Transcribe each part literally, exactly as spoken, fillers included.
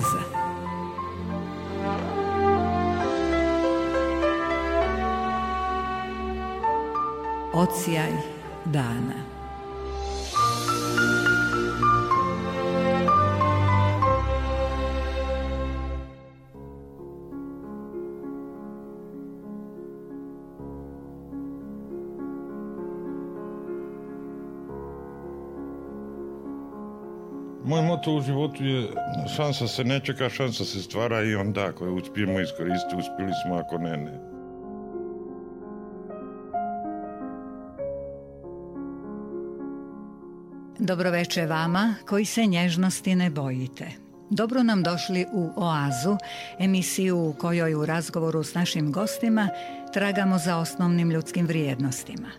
Oaza. Odsjaj dana. Moj moto u životu je šansa se ne čeka, šansa se stvara i onda ako je uspijemo iskoristiti, uspjeli smo, ako ne, ne. Dobroveče vama koji se nježnosti ne bojite. Dobro nam došli u Oazu, emisiju u kojoj u razgovoru s našim gostima tragamo za osnovnim ljudskim vrijednostima.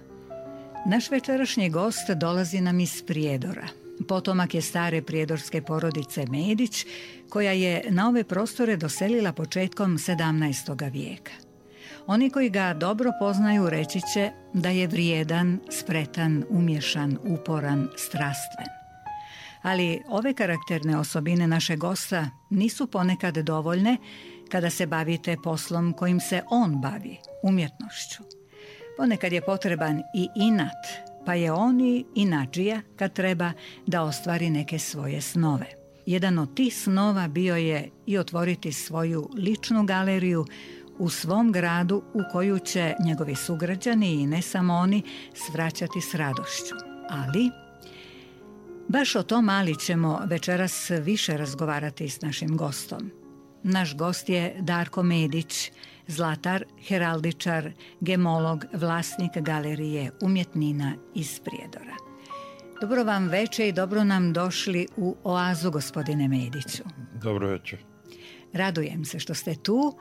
Naš večerašnji gost dolazi nam iz Prijedora. Potomak je stare prijedorske porodice Medić, koja je na ove prostore doselila početkom sedamnaestog vijeka. Oni koji ga dobro poznaju reći će da je vrijedan, spretan, umješan, uporan, strastven. Ali ove karakterne osobine našeg gosta nisu ponekad dovoljne kada se bavite poslom kojim se on bavi, umjetnošću. Ponekad je potreban i inat, pa je on i inadžija kad treba da ostvari neke svoje snove. Jedan od tih snova bio je i otvoriti svoju ličnu galeriju u svom gradu u koju će njegovi sugrađani i ne samo oni svraćati s radošću. Ali baš o tom ali ćemo večeras više razgovarati s našim gostom. Naš gost je Darko Medić, zlatar, heraldičar, gemolog, vlasnik galerije umjetnina iz Prijedora. Dobro vam veče i dobro nam došli u Oazu, gospodine Mediću. Dobro večer. Radujem se što ste tu,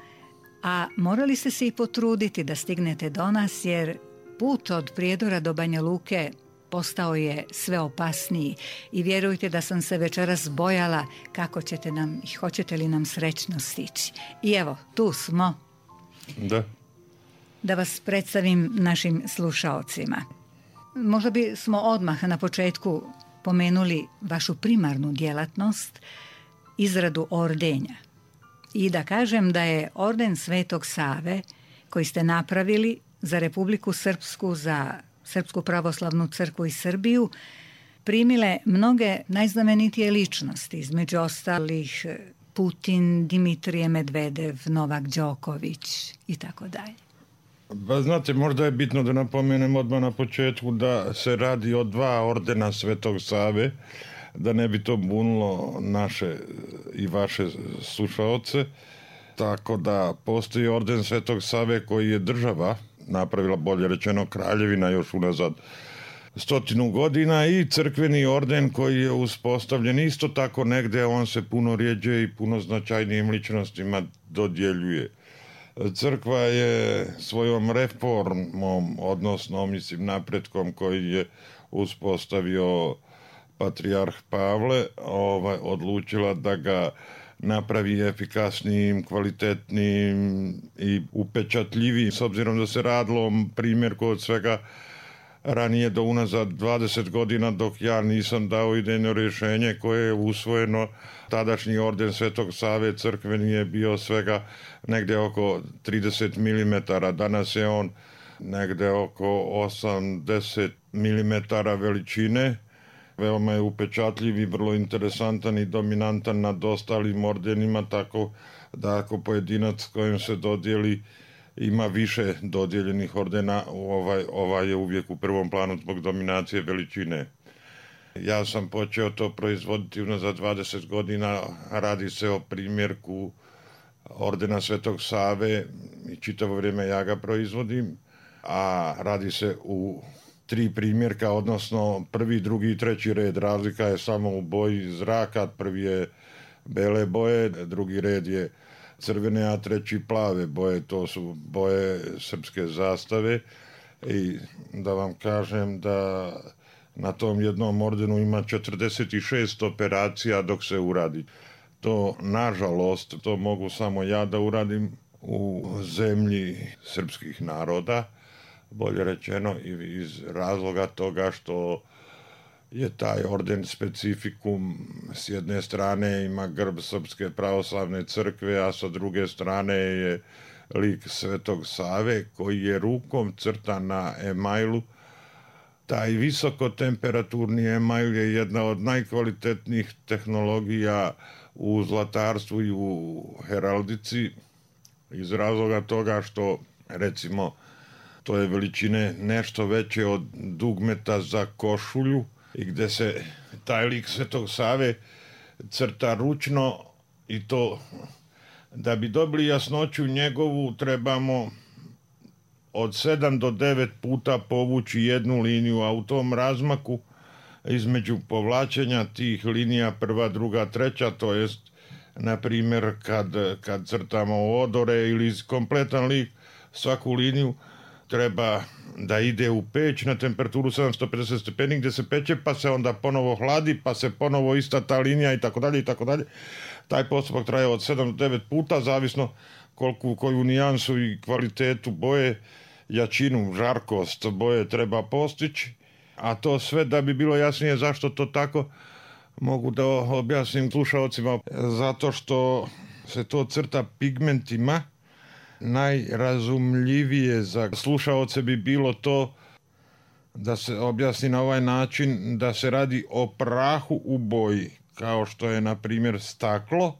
a morali ste se i potruditi da stignete do nas, jer put od Prijedora do Banja Luke postao je sve opasniji i vjerujte da sam se večeras bojala kako ćete nam i hoćete li nam srećno stići. I evo, tu smo. Da. Da vas predstavim našim slušaocima. Možda bi smo odmah na početku pomenuli vašu primarnu djelatnost, izradu ordenja. I da kažem da je orden Svetog Save koji ste napravili za Republiku Srpsku, za Srpsku pravoslavnu crkvu i Srbiju, primile mnoge najznamenitije ličnosti, između ostalih Putin, Dimitrije Medvedev, Novak Đoković i tako dalje. Ba, znate, možda je bitno da napomenem odmah na početku da se radi o dva ordena Svetog Save, da ne bi to bunilo naše i vaše slušaoce. Tako da postoji orden Svetog Save koji je država napravila, bolje rečeno kraljevina, još unazad stotinu godina, i crkveni orden koji je uspostavljen isto tako negdje, on se puno rjeđe i puno značajnijim ličnostima dodjeljuje. Crkva je svojom reformom, odnosno mislim napretkom koji je uspostavio patrijarh Pavle, ovaj, odlučila da ga napravi efikasnijim, kvalitetnijim i upečatljivijim, s obzirom da se radilo primjerku od svega ranije do unazad dvadeset godina, dok ja nisam dao idejno rješenje koje je usvojeno. Tadašnji orden Svetog Save crkveni je bio svega negdje oko trideset milimetara, danas je on negdje oko osamdeset milimetara veličine. Veoma je upečatljiv i vrlo interesantan i dominantan nad ostalim ordenima, tako da ako pojedinac kojem se dodijeli ima više dodijeljenih ordena, ovaj, ovaj je uvijek u prvom planu zbog dominacije veličine. Ja sam počeo to proizvoditi unazad dvadeset godina, radi se o primjerku ordena Svetog Save i čitavo vrijeme ja ga proizvodim, a radi se u tri primjerka, odnosno prvi, drugi i treći red. Razlika je samo u boji zraka, prvi je bele boje, drugi red je crvene, a treći plave boje, to su boje srpske zastave. I da vam kažem da na tom jednom ordenu ima četrdeset šest operacija dok se uradi. To, nažalost, to mogu samo ja da uradim u zemlji srpskih naroda, bolje rečeno, iz razloga toga što je taj orden specifikum. S jedne strane ima grb Srpske pravoslavne crkve, a sa druge strane je lik Svetog Save koji je rukom crtan na emajlu. Taj visokotemperaturni emajl je jedna od najkvalitetnijih tehnologija u zlatarstvu i u heraldici iz razloga toga što, recimo, to je veličine nešto veće od dugmeta za košulju i gde se taj lik Svetog Save crta ručno i to da bi dobili jasnoću njegovu trebamo od sedam do devet puta povući jednu liniju, a u tom razmaku između povlačenja tih linija prva, druga, treća, to jest na primjer kad, kad crtamo odore ili kompletan lik, svaku liniju treba da ide u peć na temperaturu sedamsto pedeset stepeni gdje se peče, pa se onda ponovo hladi, pa se ponovo ista ta linija i tako dalje i tako dalje. Taj postupak traje od sedam do devet puta, zavisno koliko, koju nijansu i kvalitetu boje, jačinu, žarkost boje treba postići, a to sve da bi bilo jasnije zašto to tako mogu da objasnim slušalcima, zato što se to crta pigmentima. Najrazumljivije za slušaoce bi bilo to da se objasni na ovaj način da se radi o prahu u boji, kao što je na primjer staklo,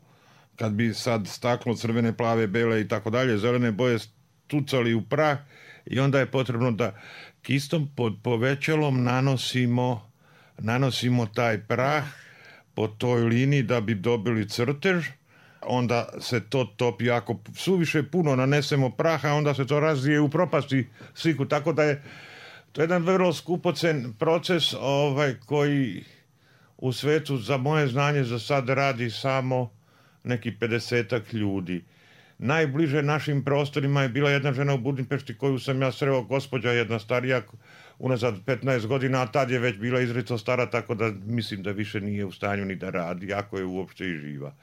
kad bi sad staklo crvene, plave, bele i tako dalje, zelene boje stucali u prah i onda je potrebno da kistom pod povećalom nanosimo, nanosimo taj prah po toj liniji da bi dobili crtež. Onda se to topi, ako suviše puno nanesemo praha, onda se to razvije u propasti sliku, tako da je to jedan vrlo skupocen proces ovaj, koji u svetu za moje znanje za sad radi samo neki pedesetak ljudi. Najbliže našim prostorima je bila jedna žena u Budimpešti koju sam ja sreo, gospođa jedna starija, unazad petnaest godina, a tad je već bila izrazito stara, tako da mislim da više nije u stanju ni da radi, ako je uopšte i živa.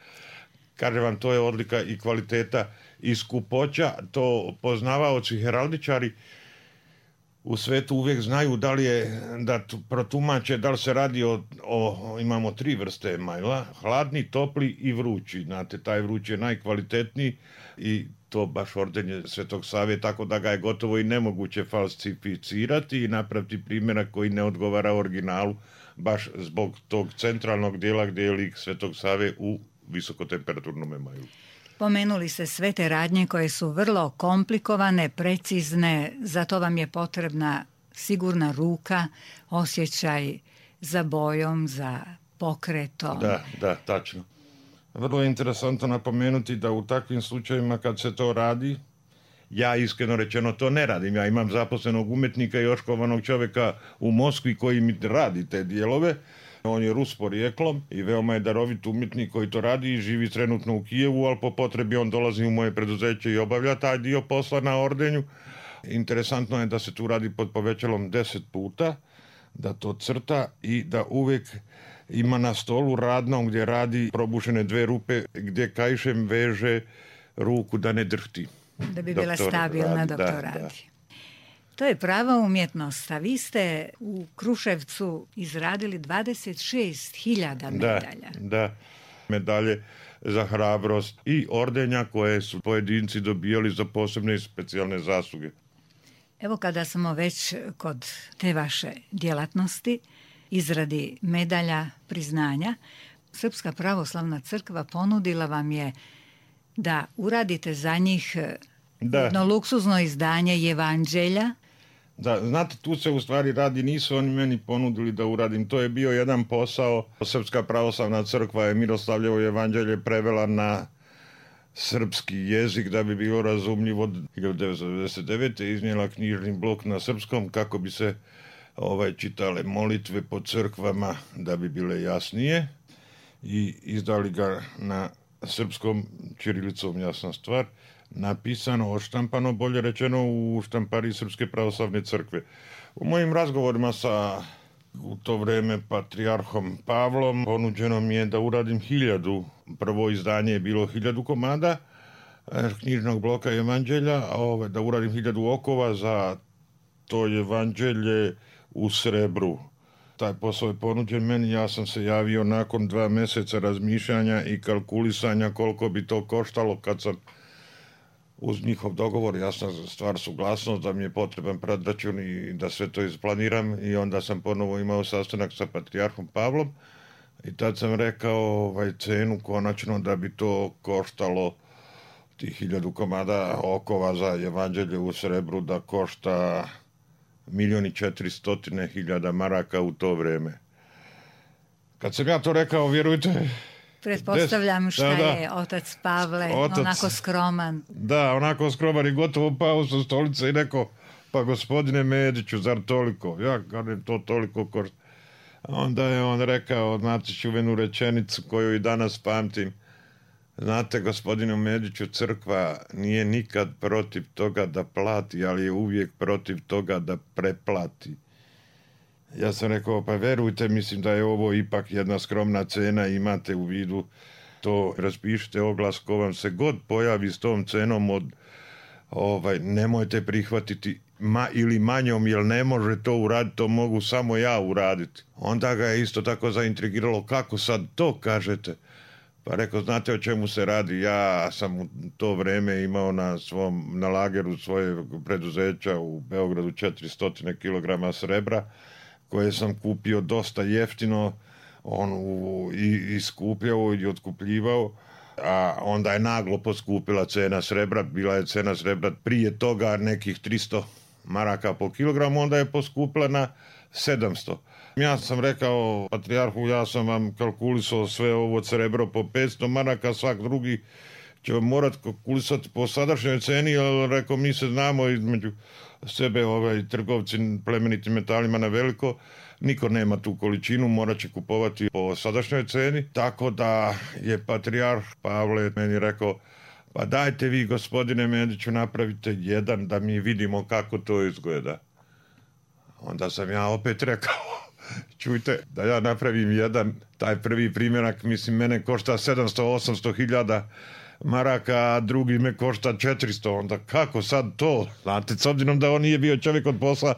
Kažem vam, to je odlika i kvaliteta i skupoća, to poznavaoci heraldičari u svetu uvijek znaju da li je, da protumače da li se radi o, o imamo tri vrste emajla, hladni, topli i vrući. Znate, taj vrući je najkvalitetniji i to baš ordenje Svetog Save, tako da ga je gotovo i nemoguće falsificirati i napraviti primjerak koji ne odgovara originalu, baš zbog tog centralnog dijela gdje je lik Svetog Save u visokotemperaturnom emajlu. Pomenuli ste sve te radnje koje su vrlo komplikovane, precizne, zato vam je potrebna sigurna ruka, osjećaj za bojom, za pokretom. Da, da, tačno. Vrlo je interesantno napomenuti da u takvim slučajevima kad se to radi, ja iskreno rečeno to ne radim. Ja imam zaposlenog umetnika i oškolovanog čovjeka u Moskvi koji mi radi te dijelove. On je Rus porijeklom i veoma je darovit umjetnik koji to radi i živi trenutno u Kijevu, ali po potrebi on dolazi u moje preduzeće i obavlja taj dio posla na ordenju. Interesantno je da se tu radi pod povećalom deset puta, da to crta i da uvijek ima na stolu radnom gdje radi probušene dve rupe gdje kaišem veže ruku da ne drhti. Da bi bila stabilna dok to radi. To je prava umjetnost, a vi ste u Kruševcu izradili dvadeset šest hiljada medalja. Da, da, medalje za hrabrost i ordenja koje su pojedinci dobijali za posebne i specijalne zasluge. Evo kada smo već kod te vaše djelatnosti, izradi medalja, priznanja, Srpska pravoslavna crkva ponudila vam je da uradite za njih da. jedno luksuzno izdanje Evanđelja. Da, znate, tu se u stvari radi, nisu oni meni ponudili da uradim, to je bio jedan posao. Srpska pravoslavna crkva je Miroslavljevo evanđelje prevela na srpski jezik da bi bilo razumljivo. hiljadu devetsto devedeset devete iznijela knjižni blok na srpskom kako bi se ovaj, čitale molitve po crkvama da bi bile jasnije i izdali ga na srpskom ćirilicom, jasna stvar, napisano, odštampano, bolje rečeno, u štampariji Srpske pravoslavne crkve. U mojim razgovorima sa u to vrijeme patrijarhom Pavlom ponuđeno mi je da uradim hiljadu, prvo izdanje je bilo hiljadu komada knjižnog bloka evanđelja, a ove, da uradim hiljadu okova za to evanđelje u srebru. taj posao je ponuđen meni, ja sam se javio nakon dva mjeseca razmišljanja i kalkulisanja koliko bi to koštalo kad sam uz njihov dogovor, jasna stvar, suglasnost da mi je potreban predračun i da sve to isplaniram, i onda sam ponovo imao sastanak sa patrijarhom Pavlom i tad sam rekao ovaj, cenu konačno da bi to koštalo tih hiljadu komada okova za evanđelje u srebru, da košta milijon i četiristotine hiljada maraka u to vrijeme. Kad sam ja to rekao, vjerujte... Pretpostavljam šta da, da. je otac Pavle, otac, onako skroman. Da, onako skroman i gotovo pao sa stolice i rekao, pa gospodine Mediću, zar toliko? Ja kažem, to toliko košta. Onda je on rekao, znate, čuvenu rečenicu koju i danas pamtim. Znate, gospodine Mediću, crkva nije nikad protiv toga da plati, ali je uvijek protiv toga da preplati. Ja sam rekao, pa verujte, mislim da je ovo ipak jedna skromna cena, imate u vidu to, raspišite oglas, ko vam se god pojavi s tom cenom, od, ovaj, nemojte prihvatiti ma, ili manjom, jer ne može to uraditi, to mogu samo ja uraditi. Onda ga je isto tako zaintrigiralo, kako sad to kažete? Pa rekao, znate o čemu se radi, ja sam u to vrijeme imao na svom, na lageru svoje preduzeća u Beogradu četiristo kilograma srebra, koje sam kupio dosta jeftino, on u, i, i skupljao i otkupljivao, a onda je naglo poskupila cena srebra, bila je cena srebra prije toga nekih tristo maraka po kilogramu, onda je poskupila na sedamsto. Ja sam rekao patrijarhu, ja sam vam kalkulisao sve ovo srebro po petsto maraka, svak drugi će morati kalkulisati po sadašnjoj ceni, ali rekao, mi se znamo između sebe, ovaj, trgovci plemenitim metalima na veliko, niko nema tu količinu, morat će kupovati po sadašnjoj ceni, tako da je patrijarh Pavle meni rekao, pa dajte vi, gospodine Mediću, napravite jedan da mi vidimo kako to izgleda. Onda sam ja opet rekao, čujte, da ja napravim jedan, taj prvi primjerak, mislim, mene košta sedamsto osamsto hiljada maraka, a drugi me košta četiristo, onda kako sad to? Znate, s obzirom da on nije bio čovjek od posla,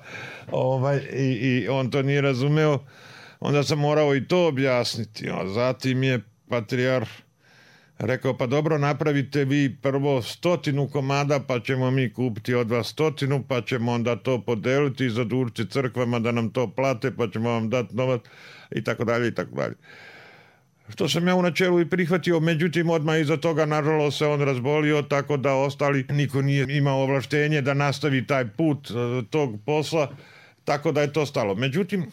ovaj, i, i on to nije razumeo, onda sam morao i to objasniti. A zatim je patrijarh rekao, pa dobro, napravite vi prvo stotinu komada, pa ćemo mi kupiti od vas stotinu, pa ćemo onda to podeliti i zadužiti crkvama da nam to plate, pa ćemo vam dati novac, i tako dalje, i tako dalje. Što sam ja u načelu i prihvatio, međutim odmah iza toga nažalost se on razbolio, tako da ostali niko nije imao ovlaštenje da nastavi taj put tog posla, tako da je to stalo. Međutim,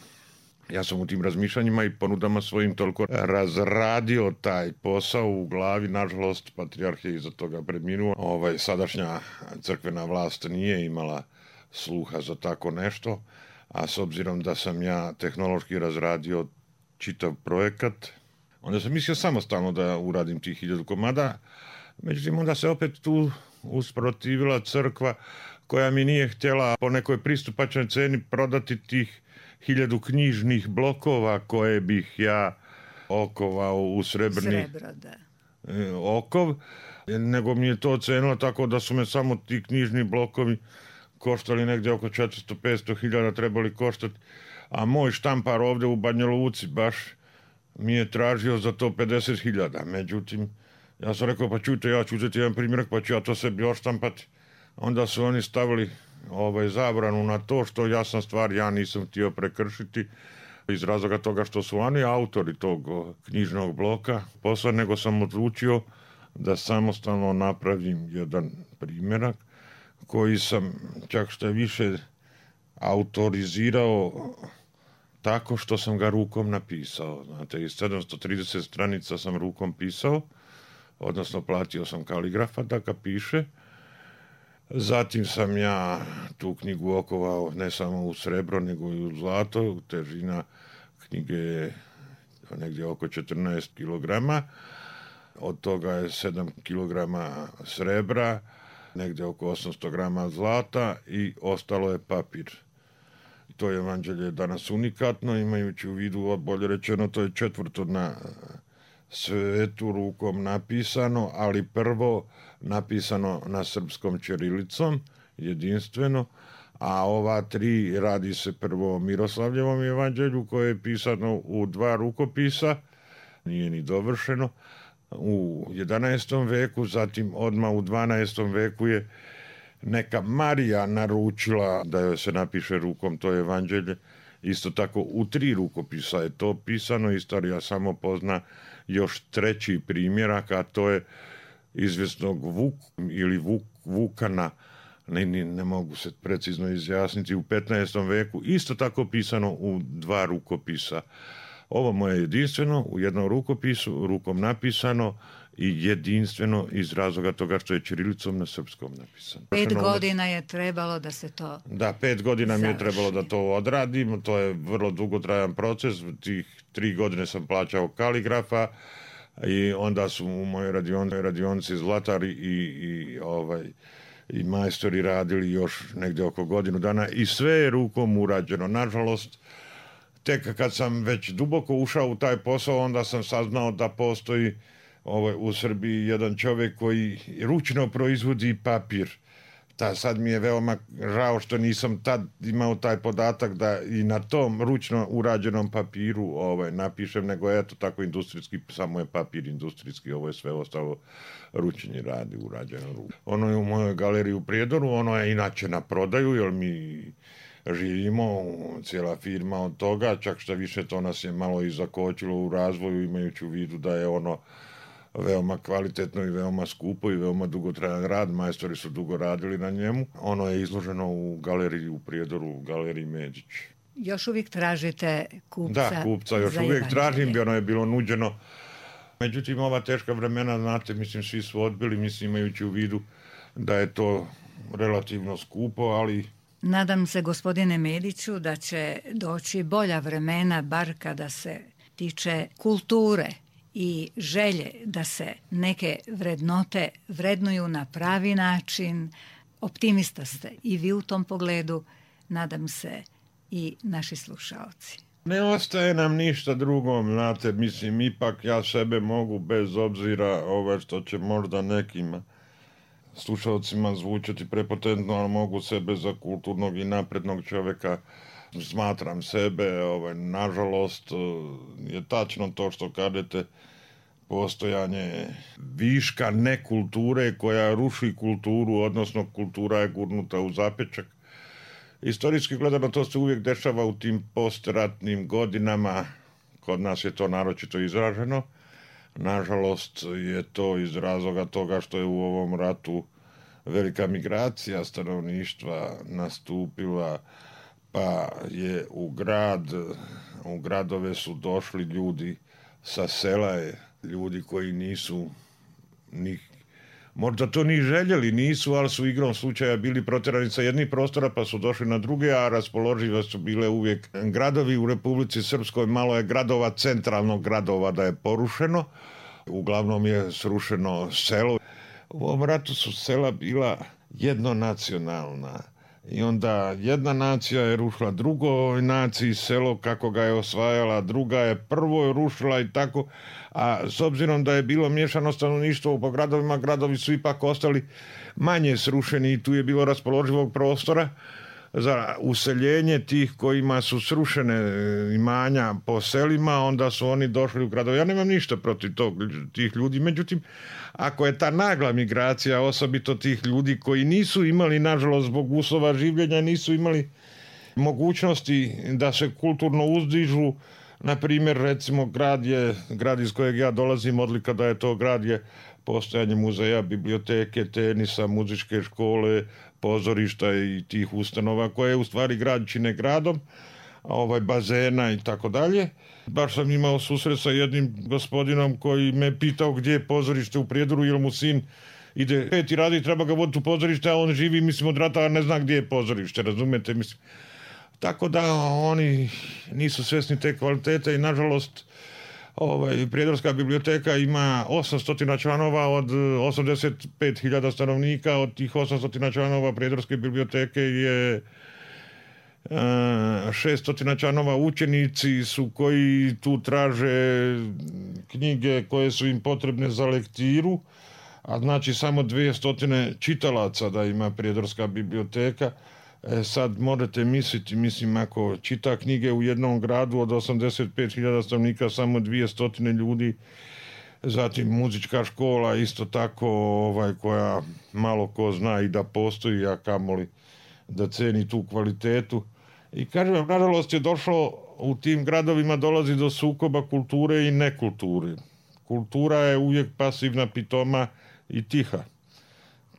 ja sam u tim razmišljanjima i ponudama svojim toliko razradio taj posao u glavi, nažalost patrijarh je iza toga preminuo. Ovaj, sadašnja crkvena vlast nije imala sluha za tako nešto, a s obzirom da sam ja tehnološki razradio čitav projekat, onda sam mislio samostalno da uradim tih hiljadu komada, međutim onda se opet tu usprotivila crkva koja mi nije htjela po nekoj pristupačnoj ceni prodati tih hiljadu knjižnih blokova koje bih ja okovao u srebrni Srebro, da. okov, nego mi je to ocenilo tako da su me samo ti knjižni blokovi koštali negdje oko četiristo do petsto hiljada trebali koštati, a moj štampar ovdje u Banja Luci baš mi je tražio za to pedeset hiljada. Međutim, ja sam rekao, pa čujte, ja ću uzeti jedan primjerak, pa ću ja to sebi oštampati. Onda su oni stavili ovaj, zabranu na to, što jasna stvar, ja nisam htio prekršiti iz razloga toga što su oni autori tog knjižnog bloka posla, nego sam odlučio da samostalno napravim jedan primjerak koji sam čak što više autorizirao tako što sam ga rukom napisao. Znate, iz sedamsto trideset stranica sam rukom pisao, odnosno platio sam kaligrafa da ga piše. Zatim sam ja tu knjigu okovao ne samo u srebro, nego i u zlato. Težina knjige je negdje oko četrnaest kilograma. Od toga je sedam kilograma srebra, negdje oko osamsto grama zlata i ostalo je papir. To je evanđelje danas unikatno, imajući u vidu, bolje rečeno, to je četvrto na svetu rukom napisano, ali prvo napisano na srpskom ćirilicom, jedinstveno, a ova tri radi se prvo o Miroslavljevom evanđelju koje je pisano u dva rukopisa, nije ni dovršeno, u jedanaestom veku, zatim odmah u dvanaestom veku je neka Marija naručila da joj se napiše rukom to evanđelje. Isto tako u tri rukopisa je to pisano, istorija samo pozna još treći primjerak, a to je izvjesnog Vuk ili Vuk, Vukana, ne, ne, ne mogu se precizno izjasniti, u petnaestom veku, isto tako pisano u dva rukopisa. Ovo moje jedinstveno, u jednom rukopisu, rukom napisano i jedinstveno iz razloga toga što je ćirilicom na srpskom napisano. Pet godina je trebalo da se to Da, pet godina završi. Mi je trebalo da to odradim, to je vrlo dugotrajan proces, tih tri godine sam plaćao kaligrafa i onda su u mojoj radionici, radionici zlatari i, i, ovaj, i majstori radili još negdje oko godinu dana i sve je rukom urađeno. Nažalost, tek kad sam već duboko ušao u taj posao, onda sam saznao da postoji ovaj, u Srbiji jedan čovjek koji ručno proizvodi papir. Ta, sad mi je veoma žao što nisam tad imao taj podatak da i na tom ručno urađenom papiru ovaj, napišem, nego eto tako industrijski, samo je papir industrijski, ovo je sve ostalo ručni radi, urađeno ručno. Ono je u mojoj galeriji u Prijedoru, ono je inače na prodaju, jer mi živimo, cijela firma od toga, čak što više to nas je malo i zakočilo u razvoju, imajući u vidu da je ono veoma kvalitetno i veoma skupo i veoma dugotrajan rad, majstori su dugo radili na njemu. Ono je izloženo u galeriji u Prijedoru, u galeriji Medić. Još uvijek tražite kupca? Da, kupca još uvijek tražim, bi ono je bilo nuđeno. Međutim, ova teška vremena, znate, mislim, svi su odbili, mislim, imajući u vidu da je to relativno skupo, ali nadam se, gospodine Mediću, da će doći bolja vremena, bar kada se tiče kulture i želje da se neke vrednote vrednuju na pravi način. Optimista ste i vi u tom pogledu, nadam se i naši slušaoci. Ne ostaje nam ništa drugo, znate, mislim, ipak ja sebe mogu, bez obzira ove što će možda nekima slušalcima zvučati prepotentno, ali mogu sebe za kulturnog i naprednog čovjeka, smatram sebe, ovaj, nažalost je tačno to što kažete, postojanje viška nekulture koja ruši kulturu, odnosno kultura je gurnuta u zapečak. Istorijski gledano to se uvijek dešava u tim postratnim godinama, kod nas je to naročito izraženo. Nažalost je to iz razloga toga što je u ovom ratu velika migracija stanovništva nastupila, pa je u grad, u gradove su došli ljudi sa sela, ljudi koji nisu ni, možda to ni željeli, nisu, ali su igrom slučaja bili protjerani sa jednih prostora pa su došli na druge, a raspoložive su bile uvijek gradovi u Republici Srpskoj. Malo je gradova, centralnog gradova da je porušeno, uglavnom je srušeno selo. U ovom ratu su sela bila jednonacionalna i onda jedna nacija je rušila drugoj naciji selo kako ga je osvajala, druga je prvo rušila i tako, a s obzirom da je bilo miješano stanovništvo po gradovima, gradovi su ipak ostali manje srušeni i tu je bilo raspoloživog prostora za useljenje tih kojima su srušene imanja po selima, onda su oni došli u gradove. Ja nemam ništa protiv tog, tih ljudi, međutim, ako je ta nagla migracija, osobito tih ljudi koji nisu imali, nažalost, zbog uslova življenja, nisu imali mogućnosti da se kulturno uzdižu, na primjer, recimo, grad je, grad iz kojeg ja dolazim, odlika da je to grad je postojanje muzeja, biblioteke, tenisa, muzičke škole, pozorišta i tih ustanova koje u stvari grad čine gradom, ovaj, bazena i tako dalje. Baš sam imao susret sa jednim gospodinom koji me pitao gdje je pozorište u Prijedoru, jer mu sin ide peti radi i treba ga voditi u pozorište, a on živi, mislim, od rata, a ne zna gdje je pozorište, razumete, mislim. Tako da oni nisu svjesni te kvalitete i nažalost ovaj, Prijedorska biblioteka ima osamsto članova od osamdeset pet hiljada stanovnika. Od tih osamsto članova Prijedorske biblioteke je šesto članova učenici su koji tu traže knjige koje su im potrebne za lektiru, a znači samo dvije stotine čitalaca da ima Prijedorska biblioteka. E, sad morate misliti, mislim, ako čita knjige u jednom gradu od osamdeset pet hiljada stanovnika samo dvjesto ljudi, zatim muzička škola isto tako ovaj, koja malo ko zna i da postoji, a kamoli da ceni tu kvalitetu. I kažem, nažalost je došlo u tim gradovima dolazi do sukoba kulture i nekulture. Kultura je uvijek pasivna, pitoma i tiha.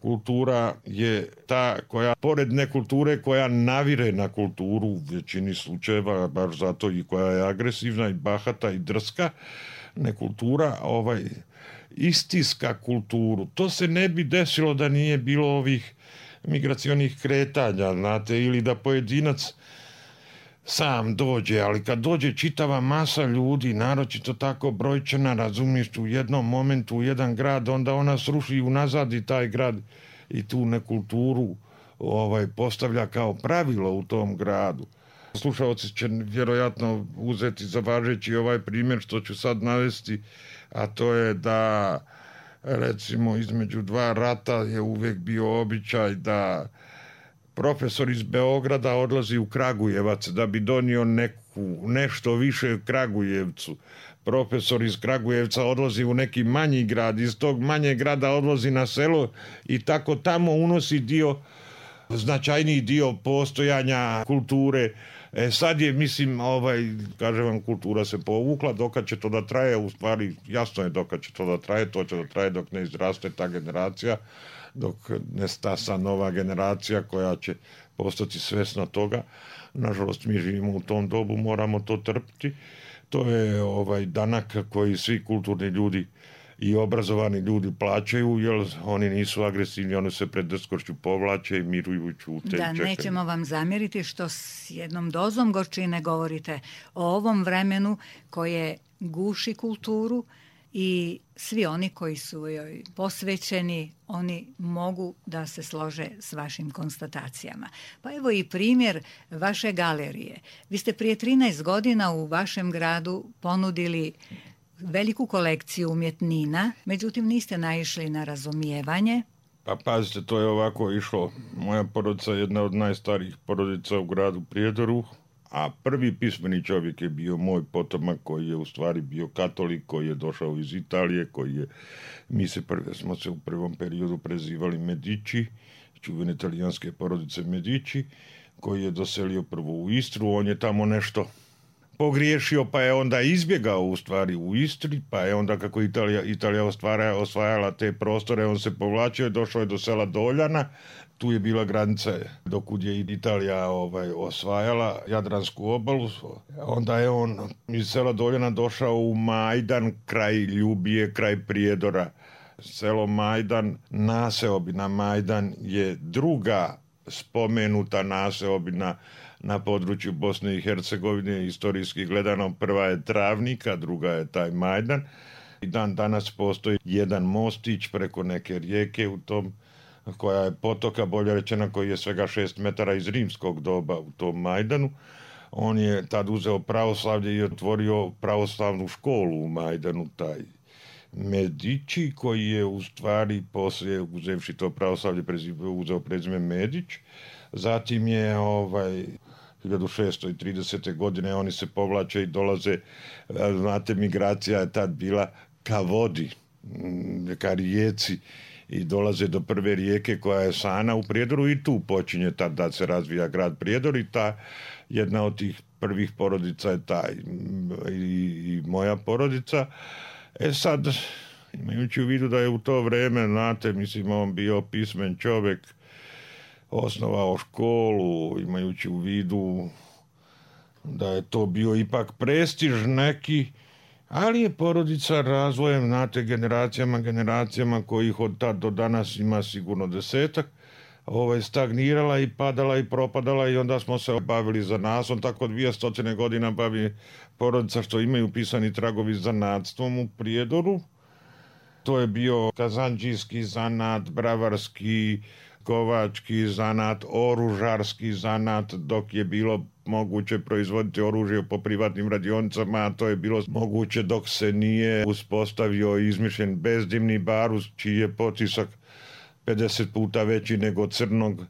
Kultura je ta koja, pored nekulture, koja navire na kulturu u većini slučajeva, baš zato i koja je agresivna i bahata i drska. Nekultura ovaj, istiska kulturu. To se ne bi desilo da nije bilo ovih migracionih kretanja, znate, ili da pojedinac sam dođe, ali kad dođe čitava masa ljudi, naročito tako brojčana, razumiješ, u jednom momentu u jedan grad, onda ona sruši unazad i taj grad i tu nekulturu ovaj, postavlja kao pravilo u tom gradu. Slušalci će vjerojatno uzeti za važeći ovaj primjer što ću sad navesti, a to je da recimo između dva rata je uvijek bio običaj da profesor iz Beograda odlazi u Kragujevac da bi donio neku, nešto više Kragujevcu. Profesor iz Kragujevca odlazi u neki manji grad, iz tog manjeg grada odlazi na selo i tako tamo unosi dio, značajniji dio postojanja kulture. E sad je, mislim, ovaj, kažem vam, kultura se povukla, dokad će to da traje, u stvari jasno je dokad će to da traje, to će da traje dok ne izraste ta generacija, dok ne stasa nova generacija koja će postati svjesna toga. Nažalost, mi živimo u tom dobu, moramo to trpiti. To je ovaj danak koji svi kulturni ljudi i obrazovani ljudi plaćaju, jer oni nisu agresivni, oni se pred drskošću povlače i miruju, ćute. Da, nećemo vam zamjeriti što s jednom dozom gorčine govorite o ovom vremenu koje guši kulturu i svi oni koji su joj posvećeni, oni mogu da se slože s vašim konstatacijama. Pa evo i primjer vaše galerije. Vi ste prije trinaest godina u vašem gradu ponudili veliku kolekciju umjetnina, međutim niste naišli na razumijevanje. Pa pazite, to je ovako išlo. Moja porodica je jedna od najstarijih porodica u gradu Prijedoru, a prvi pismeni čovjek je bio moj potomak koji je u stvari bio katolik, koji je došao iz Italije, koji je, mi se prve, smo se u prvom periodu prezivali Medici, čuvene italijanske porodice Medici, koji je doselio prvo u Istru, on je tamo nešto pogriješio, pa je onda izbjegao u stvari u Istri, pa je onda kako Italija, Italija ostvara, osvajala te prostore, on se povlačio i došao je do sela Doljana. Tu je bila granica dokud je Italija ovaj, osvajala Jadransku obalu. Onda je on iz sela Doljana došao u Majdan, kraj Ljubije, kraj Prijedora. Selo Majdan, naseobina Majdan je druga spomenuta naseobina na području Bosne i Hercegovine, historijski gledano. Prva je Travnika, druga je taj Majdan. I dan danas postoji jedan mostić preko neke rijeke u tom, koja je potoka, bolje rečeno, koji je svega šest metara iz rimskog doba u tom Majdanu. On je tad uzeo pravoslavlje i otvorio pravoslavnu školu u Majdanu, taj Medici, koji je u stvari poslije, uzevši to pravoslavlje, uzeo prezime Medić. Zatim je ovaj hiljadu šesto tridesete godine oni se povlače i dolaze, znate, migracija je tad bila ka vodi, ka rijeci, i dolaze do prve rijeke koja je Sana u Prijedoru i tu počinje tad da se razvija grad Prijedor i ta jedna od tih prvih porodica je taj i, i moja porodica. E sad, imajući u vidu da je u to vrijeme, znate, mislim, on bio pismen čovjek, osnovao školu, imajući u vidu da je to bio ipak prestiž neki, ali je porodica razvojem, znate, generacijama, generacijama kojih od tad do danas ima sigurno desetak, ovaj, stagnirala i padala i propadala i onda smo se bavili zanatom, tako dvije stotine godina bavi porodica što imaju pisani tragovi zanatstvom u Prijedoru. To je bio kazanđijski zanat, bravarski, kovački zanat, oružarski zanat, dok je bilo moguće proizvoditi oružje po privatnim radionicama, a to je bilo moguće dok se nije uspostavio i izmišljen bezdimni barut, čiji je potisak pedeset puta veći nego crnog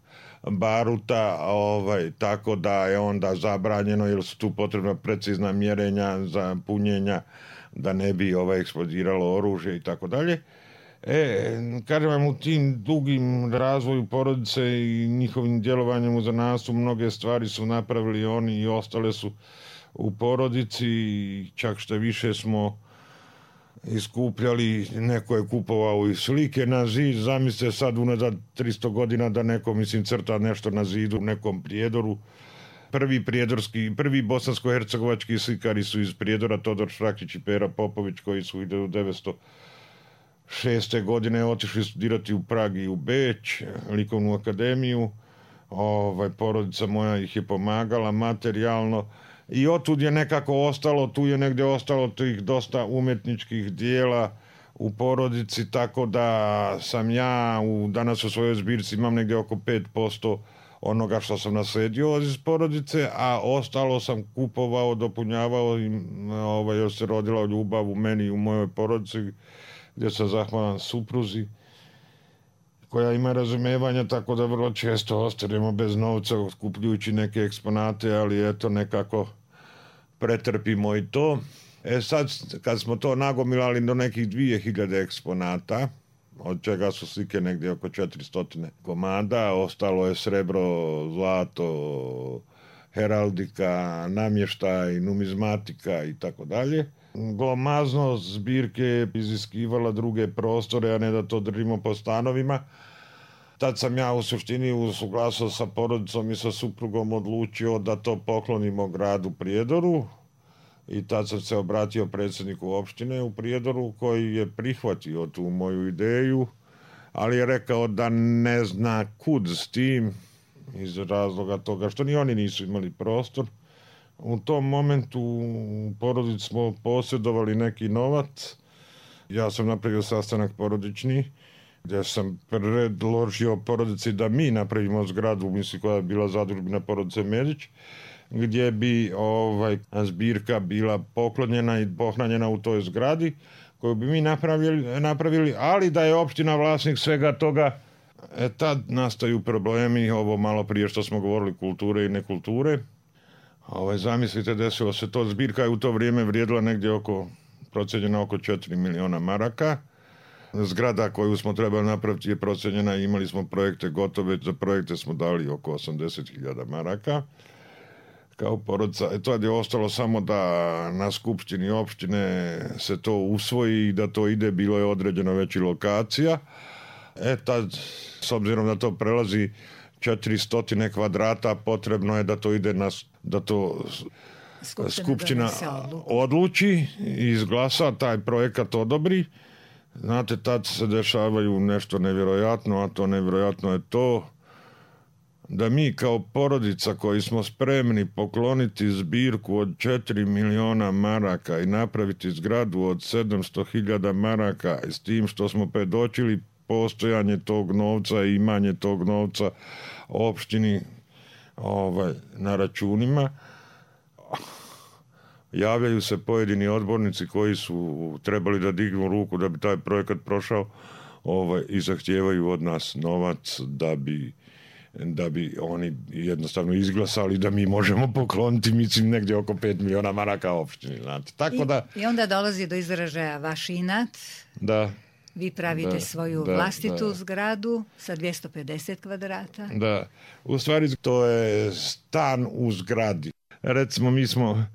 baruta, ovaj, tako da je onda zabranjeno jer su tu potrebna precizna mjerenja za punjenja da ne bi ovaj, eksplodiralo oružje i tako dalje. E, kažem vam, u tim dugim razvoju porodice i njihovim djelovanjem u zanatstvu mnoge stvari su napravili oni i ostale su u porodici, čak što više smo iskupljali, neko je kupovao i slike na zid, zamislite sad unazad tristo godina da neko, mislim, crta nešto na zidu u nekom Prijedoru. Prvi prijedorski, prvi bosansko-hercegovački slikari su iz Prijedora, Todor Šrakić i Pera Popović, koji su hiljadu devetsto šeste. godine otišli studirati u Prag i u Beč, likovnu akademiju. Ovaj, porodica moja ih je pomagala materijalno i otud je nekako ostalo, tu je negdje ostalo tih dosta umjetničkih dijela u porodici, tako da sam ja u, danas u svojoj zbirci imam negdje oko pet posto onoga što sam naslijedio iz porodice, a ostalo sam kupovao, dopunjavao i ovaj, još se rodila ljubav u meni i u mojoj porodici, gdje sam zahvalan supruzi koja ima razumevanja, tako da vrlo često ostanemo bez novca kupljujući neke eksponate, ali eto nekako pretrpimo i to. E sad, kad smo to nagomilali do nekih dvije hiljade eksponata, od čega su slike negdje oko četiristo komada, ostalo je srebro, zlato, heraldika, namještaj, numizmatika i tako dalje. Glomaznost zbirke je iziskivala druge prostore, a ne da to držimo po stanovima. Tad sam ja u suštini usuglasio sa porodicom i sa suprugom odlučio da to poklonimo gradu Prijedoru i tad sam se obratio predsjedniku opštine u Prijedoru koji je prihvatio tu moju ideju, ali je rekao da ne zna kud s tim iz razloga toga što ni oni nisu imali prostor. U tom momentu u porodici smo posjedovali neki novac. Ja sam napravio sastanak porodični gdje sam predložio porodici da mi napravimo zgradu, mislim koja je bila zadužbina porodice Medić, gdje bi ovaj, zbirka bila poklonjena i pohranjena u toj zgradi koju bi mi napravili, napravili, ali da je opština vlasnik svega toga. E tad nastaju problemi, ovo malo prije što smo govorili, kulture i nekulture. Ovaj, zamislite, desilo se to, zbirka je u to vrijeme vrijedila negdje oko, procijenjena oko četiri miliona maraka. Zgrada koju smo trebali napraviti je procijenjena, imali smo projekte gotove, za projekte smo dali oko osamdeset hiljada maraka. Kao porodica, e to je ostalo samo da na skupštini opštine se to usvoji i da to ide, bilo je određeno već i lokacija. E tad, s obzirom da to prelazi četiristo kvadrata, potrebno je da to ide na, da to skupština, skupština odluči i izglasa, taj projekat odobri. Znate, tad se dešavaju nešto nevjerojatno, a to nevjerojatno je to da mi kao porodica koji smo spremni pokloniti zbirku od četiri miliona maraka i napraviti zgradu od sedamsto hiljada maraka, s tim što smo predočili postojanje tog novca i imanje tog novca opštini ovaj, na računima, javljaju se pojedini odbornici koji su trebali da dignu ruku da bi taj projekat prošao, ovaj, i zahtijevaju od nas novac da bi da bi oni jednostavno izglasali da mi možemo pokloniti, mislim, negdje oko pet miliona maraka opštini. Znate. Tako da, I, I onda dolazi do izražaja vaš inat. Da. Vi pravite da, svoju da, vlastitu da. zgradu sa dvjesto pedeset kvadrata. Da, u stvari to je stan u zgradi. Recimo, mi smo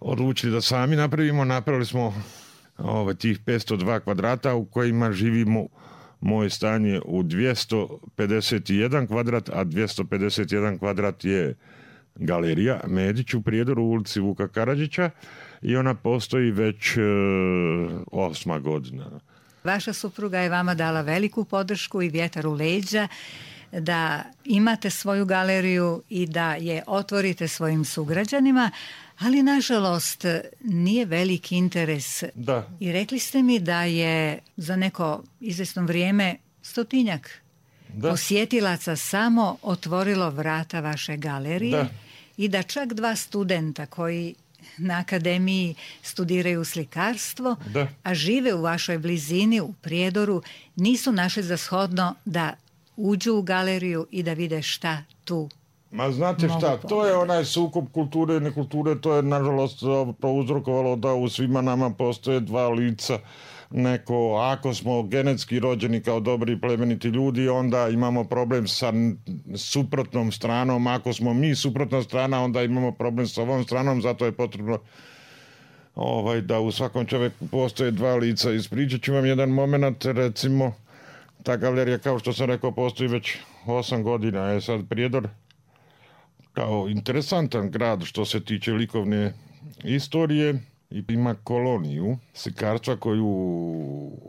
odlučili da sami napravimo, napravili smo ove, tih petsto dva kvadrata u kojima živimo. Moje stan je u dvjesto pedeset jedan kvadrat, a dvjesto pedeset jedan kvadrat je galerija Medić u Prijedoru, u ulici Vuka Karadžića, i ona postoji već e, osma godina. Vaša supruga je vama dala veliku podršku i vjetar u leđa da imate svoju galeriju i da je otvorite svojim sugrađanima, ali nažalost nije veliki interes. Da. I rekli ste mi da je za neko izvjesno vrijeme stotinjak da. posjetilaca samo otvorilo vrata vaše galerije. Da. I da čak dva studenta koji na akademiji studiraju slikarstvo, da. a žive u vašoj blizini, u Prijedoru, nisu našli za shodno da uđu u galeriju i da vide šta tu. Ma znate šta, to je onaj sukob kulture i nekulture, to je nažalost prouzrokovalo da u svima nama postoje dva lica. Neko, ako smo genetski rođeni kao dobri i plemeniti ljudi, onda imamo problem sa suprotnom stranom. Ako smo mi suprotna strana, onda imamo problem sa ovom stranom, zato je potrebno ovaj, da u svakom čovjeku postoje dva lica. Ispričat ću vam jedan moment, recimo, ta galerija, kao što sam rekao, postoji već osam godina, je sad Prijedor kao interesantan grad što se tiče likovne istorije i ima koloniju slikarstva koju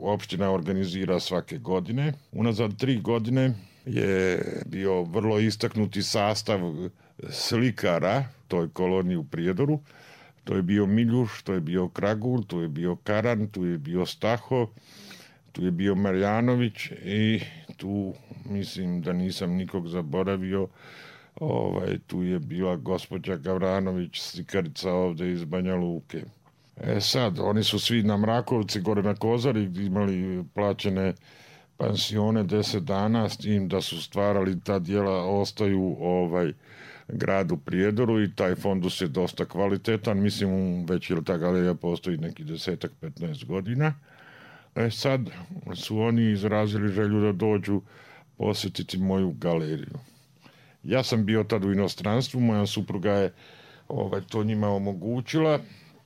opština organizira svake godine. Unazad tri godine je bio vrlo istaknuti sastav slikara toj koloniji u Prijedoru. To je bio Miljuš, to je bio Kragul, tu je bio Karan, tu je bio Staho, tu je bio Marjanović i tu mislim da nisam nikog zaboravio. Ovaj, tu je bila gospođa Gavranović, slikarica ovde iz Banja Luke. E sad, oni su svi na Mrakovci, gore na Kozari, imali plaćene pansione deset dana, s tim da su stvarali ta dijela, ostaju ovaj gradu Prijedoru i taj fondus je dosta kvalitetan. Mislim, već je ta galerija postoji neki desetak, petnaest godina. E sad su oni izrazili želju da dođu posjetiti moju galeriju. Ja sam bio tad u inostranstvu, moja supruga je ovaj, to njima omogućila.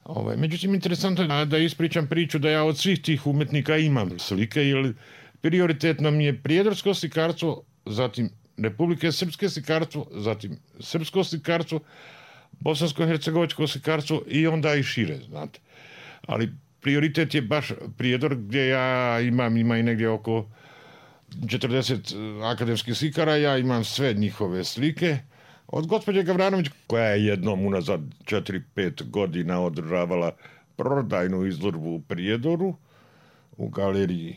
Ovaj, međutim, interesantno je da ispričam priču da ja od svih tih umetnika imam slike, jer prioritetno mi je prijedorsko slikarstvo, zatim Republike Srpske slikarstvo, zatim srpsko slikarstvo, bosansko-hercegovačko slikarstvo i onda i šire, znate. Ali prioritet je baš Prijedor, gdje ja imam, ima i negdje oko četrdeset akademskih slikara, ja imam sve njihove slike. Od gospođe Gavranović, koja je jednom unazad četiri pet godina održavala prodajnu izložbu u Prijedoru, u galeriji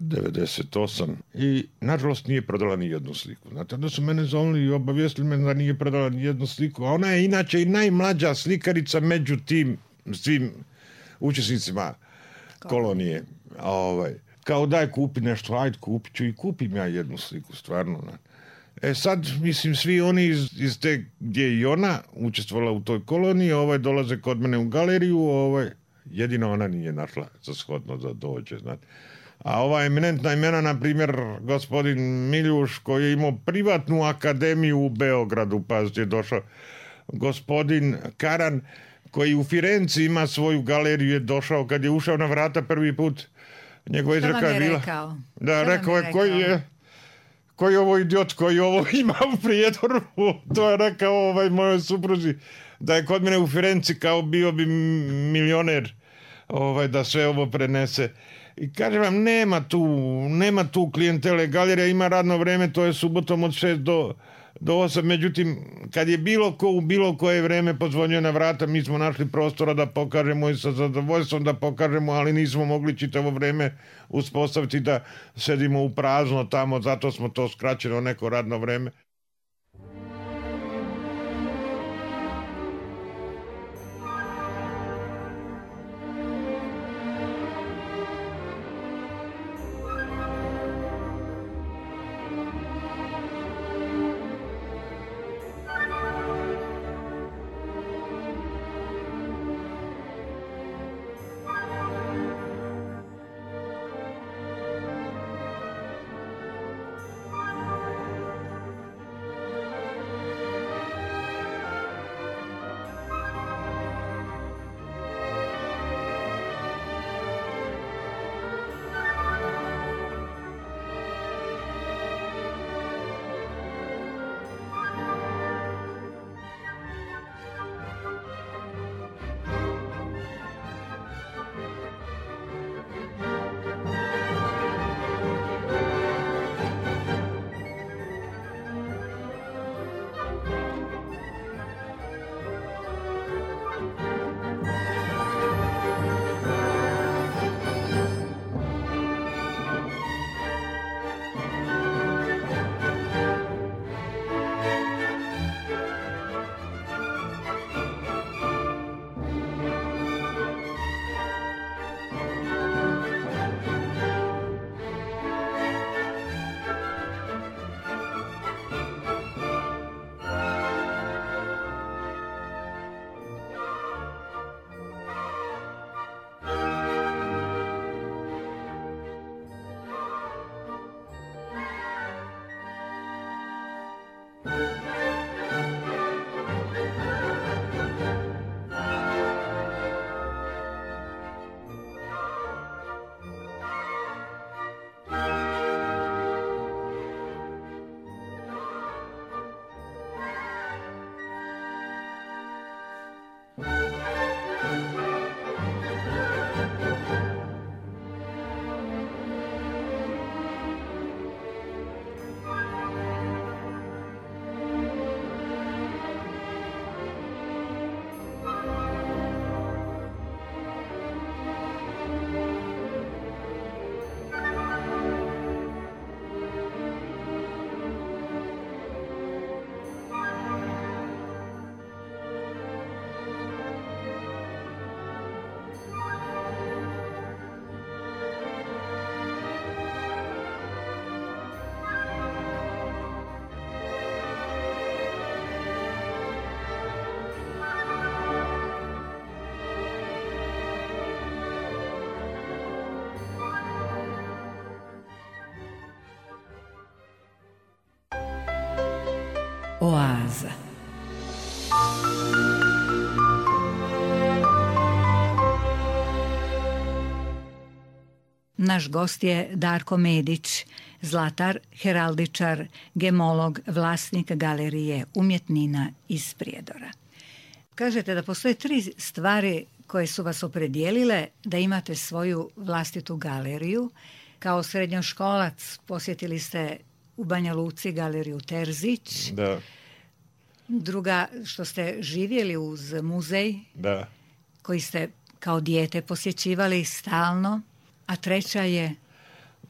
devedeset osam, i nažalost nije prodala ni jednu sliku. Znate, onda su mene zovili i obavijestili me da nije prodala ni jednu sliku, a ona je inače i najmlađa slikarica među tim svim učesnicima kolonije. Ovaj, kao daj kupi nešto, ajde kupit ću i kupim ja jednu sliku, stvarno. E sad, mislim, svi oni iz, iz te gdje je i ona učestvovala u toj koloniji, ovaj, dolaze kod mene u galeriju, ovaj, jedino ona nije našla za shodno da dođe, znate. A ova eminentna imena, na primjer, gospodin Miljuš, koji je imao privatnu akademiju u Beogradu, pazite, je došao. Gospodin Karan, koji u Firenci ima svoju galeriju, je došao kad je ušao na vrata prvi put. Njegova izreka je bila... Rekao? Da, rekao je, koji je... Koji je ovo idiot, koji ovo ima u Prijedoru, to je rekao ovaj mojoj supruzi, da je kod mene u Firenci kao bio bi milioner, ovaj, da sve ovo prenese. I kažem vam, nema tu, nema tu klijentele, galerija ima radno vreme, to je subotom od šest do, do osam, međutim, kad je bilo ko u bilo koje vreme pozvonio na vrata, mi smo našli prostora da pokažemo i sa zadovoljstvom da pokažemo, ali nismo mogli čitavo vreme uspostaviti da sedimo u prazno tamo, zato smo to skraćeno neko radno vreme. Oaza. Naš gost je Darko Medić, zlatar, heraldičar, gemolog, vlasnik galerije umjetnina iz Prijedora. Kažete da postoje tri stvari koje su vas opredijelile da imate svoju vlastitu galeriju. Kao srednjoškolac posjetili ste u Banja Luci galeriju Terzić. Da. Druga, što ste živjeli uz muzej, Da. koji ste kao dijete posjećivali stalno. A treća je?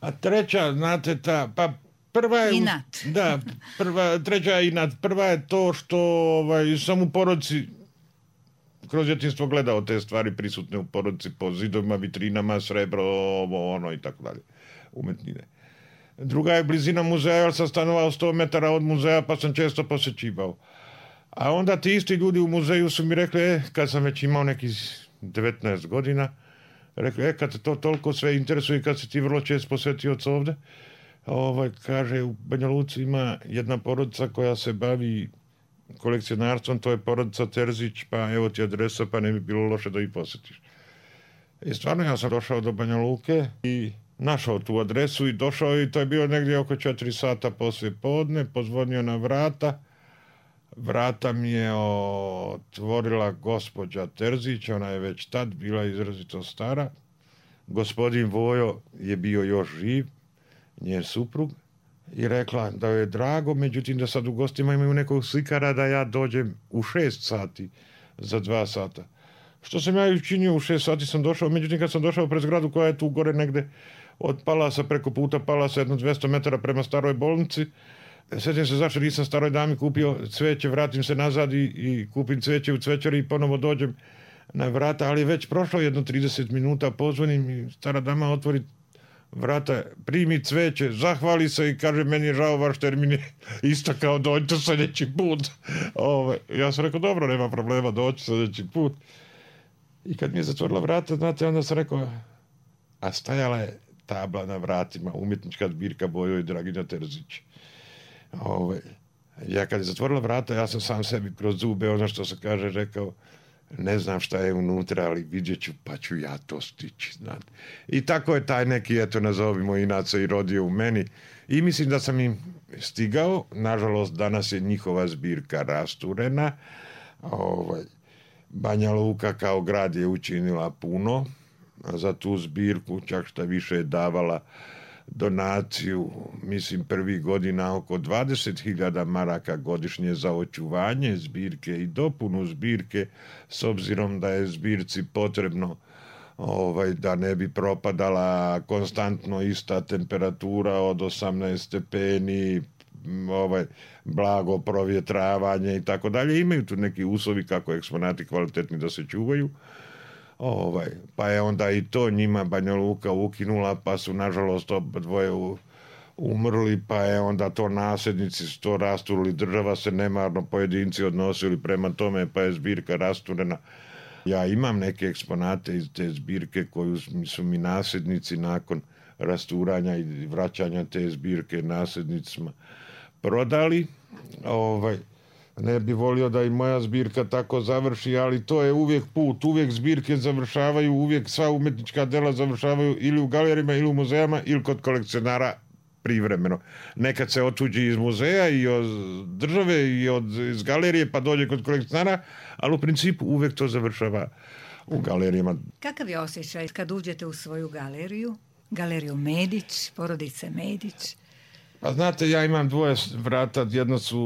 A treća, znate, ta, pa prva je... Inat. Da, prva, treća je inat. Prva je to što ovaj, sam u porodici kroz djetinjstvo gledao te stvari prisutne u porodici po zidovima, vitrinama, srebro, ovo, ono i tako dalje. Umetnine. Druga je blizina muzeja, jer sam stanovao sto metara od muzeja, pa sam često posjećivao. A onda ti isti ljudi u muzeju su mi rekli, e, kad sam već imao nekih devetnaest godina, rekli, e, kad te to toliko sve interesuje, kad se ti vrlo često posvetio ovdje, ovaj, kaže, u Banja Luci ima jedna porodica koja se bavi kolekcionarstvom, to je porodica Terzić, pa evo ti adresa, pa ne bi bilo loše da ih posjetiš. I stvarno ja sam došao do Banja Luke i našao tu adresu i došao i to je bilo negdje oko četiri sata poslije podne, pozvonio na vrata. Vrata mi je otvorila gospođa Terzić, ona je već tad bila izrazito stara. Gospodin Vojo je bio još živ, njen suprug, i rekla da joj je drago, međutim da sad u gostima imaju nekog slikara da ja dođem u šest sati za dva sata. Što sam ja i učinio, u šest sati sam došao, međutim kad sam došao pred zgradu koja je tu gore negde od Palasa, preko puta Palasa, jedno dvjesto metara prema staroj bolnici, sjećam se zašto nisam staroj dami kupio cveće, vratim se nazad i, i kupim cveće u cvećari i ponovo dođem na vrata, ali je već prošlo jedno trideset minuta, pozvonim i stara dama otvori vrata, primi cveće, zahvali se i kaže, meni je žao, vaš termin je istakao, dođite sljedeći put. Ove, ja sam rekao, dobro, nema problema, doći sljedeći put. I kad mi je zatvorila vrata, znate, onda sam rekao, a stajala je tabla na vratima, umjetnička zbirka Vojo i Dragina Terzić. Ove, ja kad je zatvorila vrata, ja sam sam sebi kroz zube, ono što se kaže, rekao, ne znam šta je unutra, ali vidjet ću, pa ću ja to stići, znate. I tako je taj neki, eto, nazovimo inaca i rodio u meni. I mislim da sam im stigao. Nažalost, danas je njihova zbirka rasturena. Ovaj, Banja Luka kao grad je učinila puno za tu zbirku, čak šta više je davala donaciju, mislim, prvih godina oko dvadeset hiljada maraka godišnje za očuvanje zbirke i dopunu zbirke, s obzirom da je zbirci potrebno ovaj, da ne bi propadala konstantno ista temperatura od osamnaest stepeni, ovaj, blago provjetravanje i tako dalje. Imaju tu neki uslovi kako eksponati kvalitetni da se čuvaju. Ovaj, pa je onda i to njima Banja Luka ukinula, pa su nažalost obadvoje umrli, pa je onda to nasljednici to rasturili, država se nemarno pojedinci odnosili prema tome, pa je zbirka rasturena. Ja imam neke eksponate iz te zbirke koju su mi nasljednici nakon rasturanja i vraćanja te zbirke nasljednicima prodali. ovaj, ne bi volio da i moja zbirka tako završi, ali to je uvijek put, uvijek zbirke završavaju, uvijek sva umetnička dela završavaju ili u galerijama ili u muzejama ili kod kolekcionara privremeno. Nekad se otuđi iz muzeja i od države i od, iz galerije pa dođe kod kolekcionara, ali u principu uvijek to završava u galerijama. Kakav je osjećaj kad uđete u svoju galeriju? Galeriju Medić, porodice Medić? Pa znate, ja imam dvoje vrata, jedno su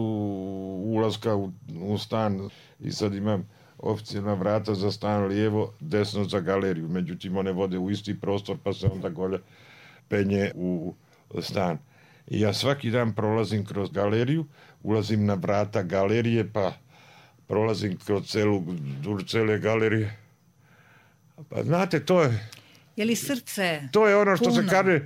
ulaska u, u stan i sad imam oficijalna vrata za stan lijevo, desno za galeriju. Međutim, one vode u isti prostor pa se onda golje penje u stan. I ja svaki dan prolazim kroz galeriju, ulazim na vrata galerije pa prolazim kroz celu, duž cele galerije. Pa znate, to je... Je li srce To je ono što puno? se kaže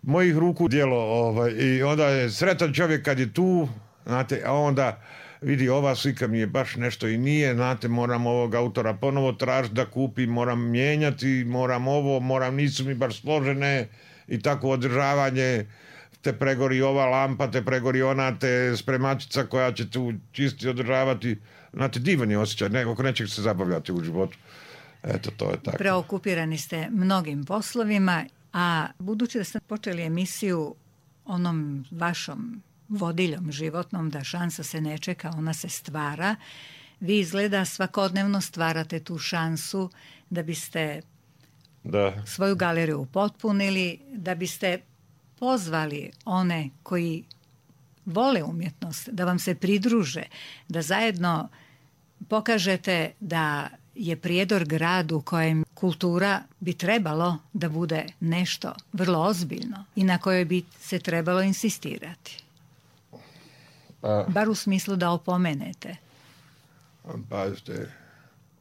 mojih ruku djelo. Ovaj, i onda je sretan čovjek kad je tu, znate, a onda vidi ova slika mi je baš nešto i nije, znate, moram ovog autora ponovo tražiti da kupim, moram mijenjati, moram ovo, moram, nisu mi baš složene i tako održavanje, te pregori ova lampa, te pregori ona, te spremačica koja će tu čisti održavati. Znate, divan je osjećaj, ne, oko nečeg se zabavljati u životu. Eto, to je tako. Preokupirani ste mnogim poslovima, a budući da ste počeli emisiju onom vašom vodiljom životnom da šansa se ne čeka, ona se stvara, vi izgleda svakodnevno stvarate tu šansu da biste Da. svoju galeriju upotpunili, da biste pozvali one koji vole umjetnost, da vam se pridruže, da zajedno pokažete da je Prijedor grad u kojem kultura bi trebalo da bude nešto vrlo ozbiljno i na kojoj bi se trebalo insistirati. Pa, Bar u smislu da opomenete. pazite,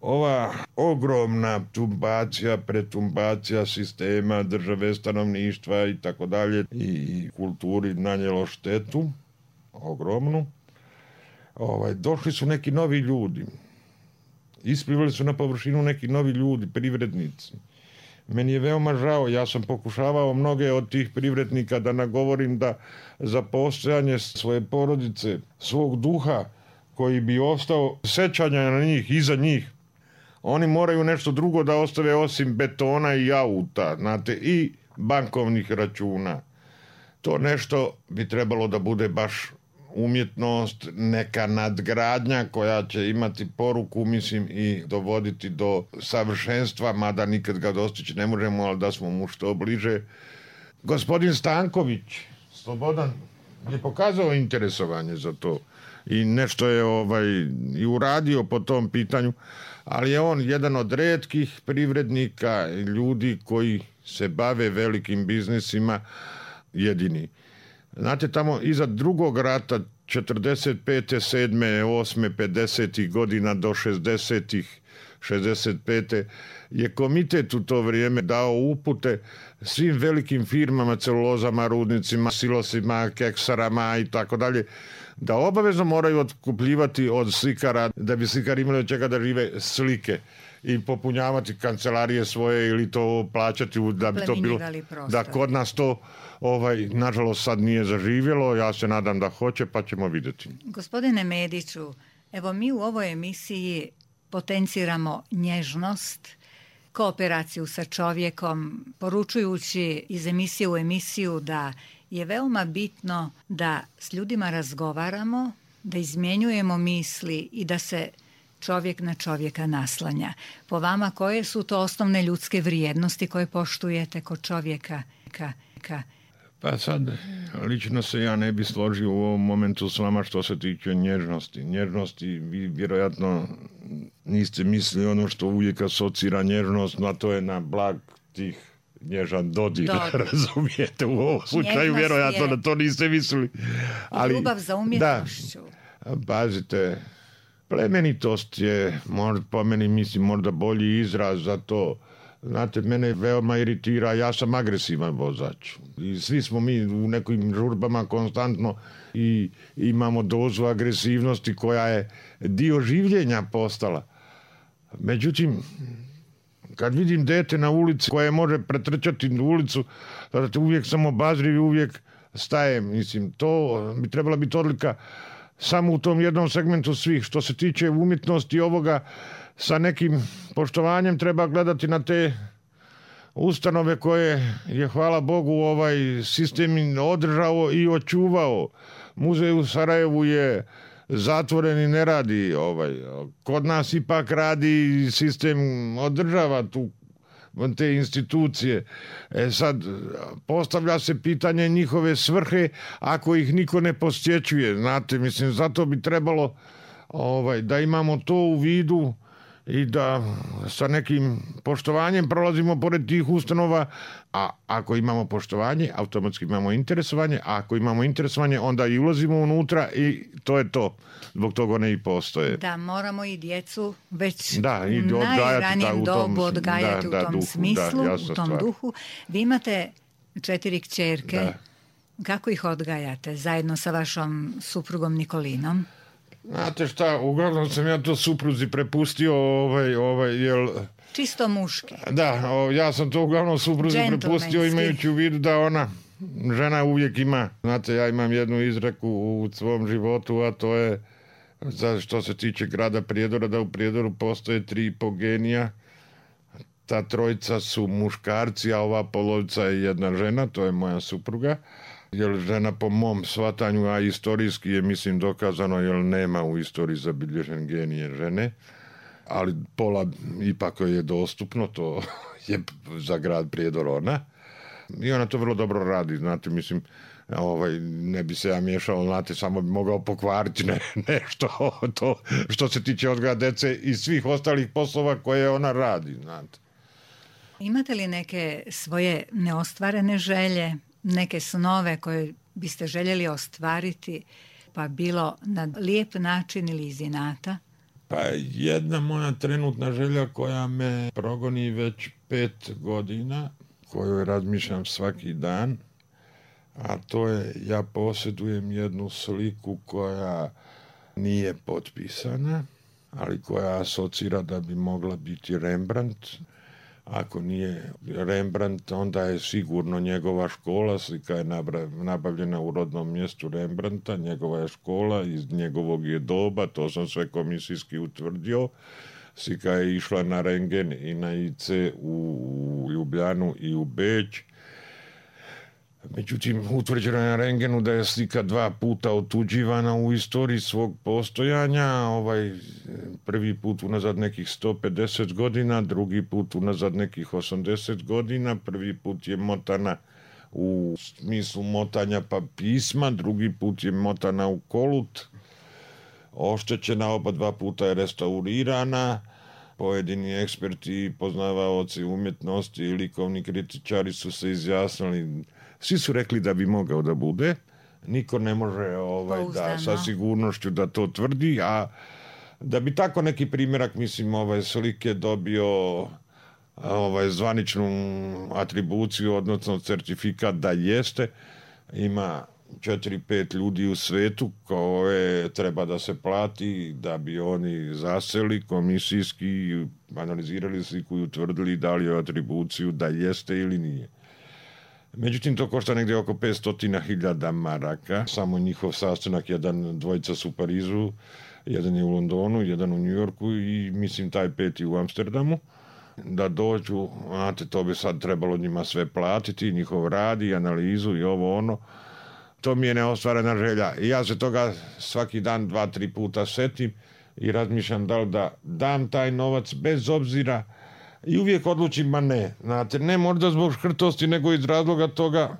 ova ogromna tumbacija, pretumbacija sistema, države, stanovništva i tako dalje i kulturi nanijelo štetu ogromnu. Ovaj, došli su neki novi ljudi. Isplivali su na površinu neki novi ljudi, privrednici. Meni je veoma žao, ja sam pokušavao mnoge od tih privrednika da nagovorim da za postojanje svoje porodice, svog duha koji bi ostao sećanja na njih, iza njih, oni moraju nešto drugo da ostave osim betona i auta, znate, i bankovnih računa. To nešto bi trebalo da bude baš umjetnost, neka nadgradnja koja će imati poruku, mislim, i dovoditi do savršenstva, mada nikad ga dostići ne možemo, ali da smo mu što bliže. Gospodin Stanković, Slobodan, je pokazao interesovanje za to i nešto je ovaj, i uradio po tom pitanju, ali je on jedan od retkih privrednika i ljudi koji se bave velikim biznisima, jedini. Znate, tamo iza drugog rata, četrdeset pete, sedme, osme, pedesetih godina do šezdesetih, šezdeset pete je komitet u to vrijeme dao upute svim velikim firmama, celulozama, rudnicima, silosima, keksarama i tako dalje, da obavezno moraju otkupljivati od slikara, da bi slikari imali od čega da žive, slike i popunjavati kancelarije svoje ili to plaćati da bi to bilo, da kod nas to ovaj, nažalost sad nije zaživjelo, ja se nadam da hoće pa ćemo vidjeti. Gospodine Mediću, evo mi u ovoj emisiji potenciramo nježnost, kooperaciju sa čovjekom, poručujući iz emisije u emisiju da je veoma bitno da s ljudima razgovaramo, da izmjenjujemo misli i da se čovjek na čovjeka naslanja. Po vama, koje su to osnovne ljudske vrijednosti koje poštujete kod čovjeka? Ka, ka. Pa sad, lično se ja ne bi složio u ovom momentu s vama što se tiče nježnosti. Nježnosti, vi vjerojatno niste mislili ono što uvijek asocira nježnost, no to je na blag tih nježan dodir, dodir. Razumijete, u ovom slučaju vjerojatno da to niste mislili. Ali, ljubav za umjetnošću. Da, pazite, plemenitost je, možda, po meni mislim, možda bolji izraz za to. Znate, mene veoma iritira, ja sam agresivan vozač. I svi smo mi u nekim žurbama konstantno i imamo dozu agresivnosti koja je dio življenja postala. Međutim, kad vidim dete na ulici koje može pretrčati ulicu, tada uvijek sam obazriv i uvijek stajem. Mislim, to bi trebala biti odlika samo u tom jednom segmentu svih. Što se tiče umjetnosti ovoga, sa nekim poštovanjem treba gledati na te ustanove koje je, hvala Bogu, ovaj sistem održao i očuvao. Muzej u Sarajevu je zatvoren i ne radi. Ovaj. Kod nas ipak radi, sistem održava tu te institucije. E sad, postavlja se pitanje njihove svrhe ako ih niko ne posjećuje. Znate, mislim, zato bi trebalo ovaj, da imamo to u vidu i da sa nekim poštovanjem prolazimo pored tih ustanova, a ako imamo poštovanje, automatski imamo interesovanje, a ako imamo interesovanje, onda i ulazimo unutra i to je to. Zbog toga one i postoje. Da, moramo i djecu već da, i u najranijem dobu odgajati da, da, u tom duhu, smislu, da, u tom stvar. duhu. Vi imate četiri kćerke. Da. Kako ih odgajate zajedno sa vašom suprugom Nikolinom? Znate šta, uglavnom sam ja to supruzi prepustio, ovaj, ovaj, jel... Čisto muški. Da, o, ja sam to uglavnom supruzi prepustio imajući u vidu da ona, žena uvijek ima, znate, ja imam jednu izreku u svom životu, a to je, za što se tiče grada Prijedora, da u Prijedoru postoje tri i po genija, ta trojica su muškarci, a ova polovica je jedna žena, to je moja supruga. Jer žena po mom shvatanju, a istorijski je mislim dokazano, jer nema u istoriji zabilježen genije žene, ali pola ipak je dostupno, to je za grad Prijedor ona. I ona to vrlo dobro radi, znate, mislim, ovaj, ne bi se ja miješao, znate, samo bi mogao pokvariti ne, nešto to što se tiče odgoja dece i svih ostalih poslova koje ona radi, znate. Imate li neke svoje neostvarene želje, neke snove koje biste željeli ostvariti, pa bilo na lijep način ili iz inata? Pa jedna moja trenutna želja koja me progoni već pet godina, koju razmišljam svaki dan, a to je, ja posjedujem jednu sliku koja nije potpisana, ali koja asocira da bi mogla biti Rembrandt. Ako nije Rembrandt, onda je sigurno njegova škola, slika je nabavljena u rodnom mjestu Rembrandta, njegova je škola, iz njegovog je doba, to sam sve komisijski utvrdio. Slika je išla na rentgen i na I C u Ljubljanu i u Beč. Međutim, utvrđeno je na rentgenu da je slika dva puta otuđivana u istoriji svog postojanja. Ovaj, prvi put unazad nekih sto pedeset godina, drugi put unazad nekih osamdeset godina. Prvi put je motana u smislu motanja pa pisma, drugi put je motana u kolut. Oštećena oba dva puta je restaurirana. Pojedini eksperti i poznavaoci umjetnosti i likovni kritičari su se izjasnili. Svi su rekli da bi mogao da bude. Niko ne može ovaj, da, sa sigurnošću da to tvrdi, a da bi tako neki primjerak, mislim, ovaj, slike dobio ovaj, zvaničnu atribuciju, odnosno certifikat da jeste, ima četiri pet ljudi u svetu koje treba da se plati da bi oni zaseli komisijski, analizirali sliku i utvrdili da li je atribuciju da jeste ili nije. Međutim, to košta negdje oko petsto hiljada maraka. Samo njihov sastanak, jedan, dvojica su u Parizu, jedan je u Londonu, jedan u New Yorku i mislim taj peti u Amsterdamu. Da dođu, znate, to bi sad trebalo njima sve platiti, njihov rad i analizu i ovo ono. To mi je neostvarena želja. I ja se toga svaki dan dva, tri puta setim i razmišljam da li da dam taj novac bez obzira. I uvijek odlučim, ma ne, znate, ne možda zbog škrtosti, nego iz razloga toga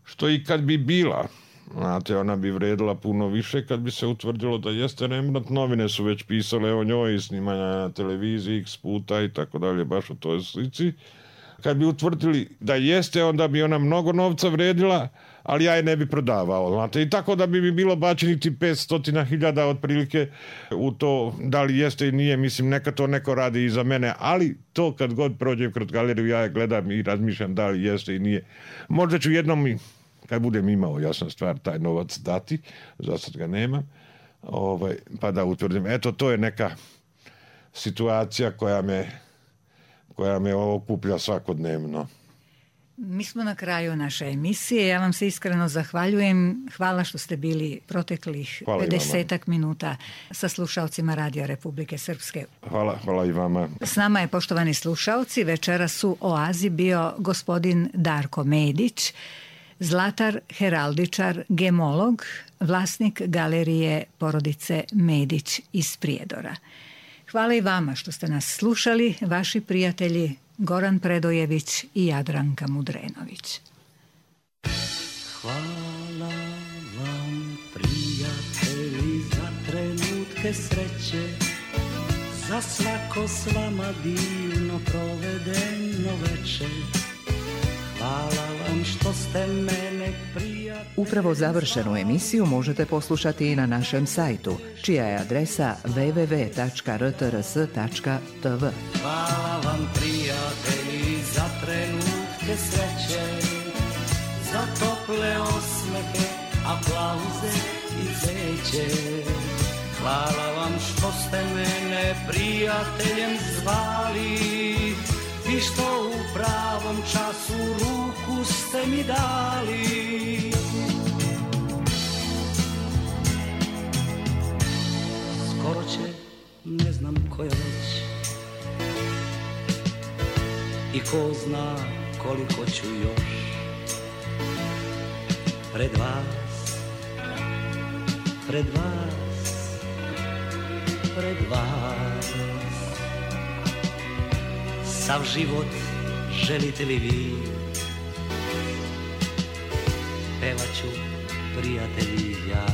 što i kad bi bila, znate, ona bi vredila puno više kad bi se utvrdilo da jeste Rembrandt. Novine su već pisale o njoj i snimanja na televiziji x puta i tako dalje, baš o toj slici. Kad bi utvrdili da jeste, onda bi ona mnogo novca vredila, ali ja je ne bi prodavao, znate. I tako da bi mi bilo bačeniti petsto hiljada otprilike u to da li jeste i nije. Mislim, neka to neko radi i za mene, ali to kad god prođem kroz galeriju, ja je gledam i razmišljam da li jeste i nije. Možda ću jednom, kad budem imao, jasna stvar, taj novac dati, za sad ga nemam, ovaj, pa da utvrdim. Eto, to je neka situacija koja me koja me okuplja svakodnevno. Mi smo na kraju naše emisije. Ja vam se iskreno zahvaljujem. Hvala što ste bili proteklih pedesetak minuta sa slušalcima Radija Republike Srpske. Hvala, hvala i vama. S nama je, poštovani slušalci, večeras u Oazi bio gospodin Darko Medić, zlatar, heraldičar, gemolog, vlasnik galerije porodice Medić iz Prijedora. Hvala i vama što ste nas slušali, vaši prijatelji Goran Predojević i Jadranka Mudrenović. Hvala vam, prijatelji, za trenutke sreće, za svako s vama divno provedeno večer. Hvala vam što ste mene prijatelji. Upravo završenu emisiju možete poslušati i na našem sajtu, čija je adresa w w w tačka r t r s tačka t v. Hvala vam, prijatelji, za trenutke sreće, za tople osmehe, aplauze i cveće. Hvala vam što ste mene prijateljem zvali i što u pravom času ruku ste mi dali. Skoro će, ne znam koja već, i ko zna koliko ću još pred vas, pred vas, pred vas. Sav život želite li vi, pevat ću, prijatelji, ja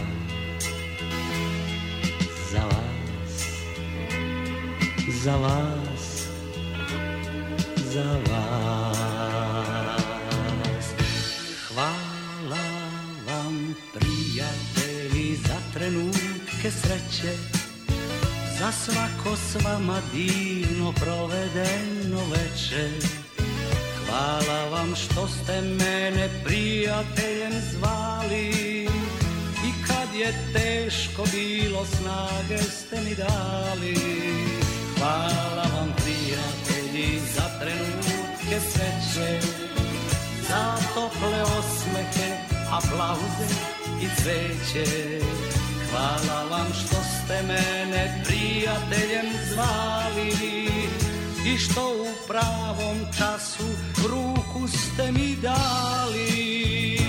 za vas, za vas, za vas. Hvala vam, prijatelji, za trenutke sreće, za svako s vama divno provedeno večer. Hvala vam što ste mene prijateljem zvali i kad je teško bilo snage ste mi dali. Hvala vam, prijatelji, za trenutke sreće, za tople osmehe, aplauze i cveće. Hvala vam što ste mene prijateljem zvali i što u pravom času ruku ste mi dali.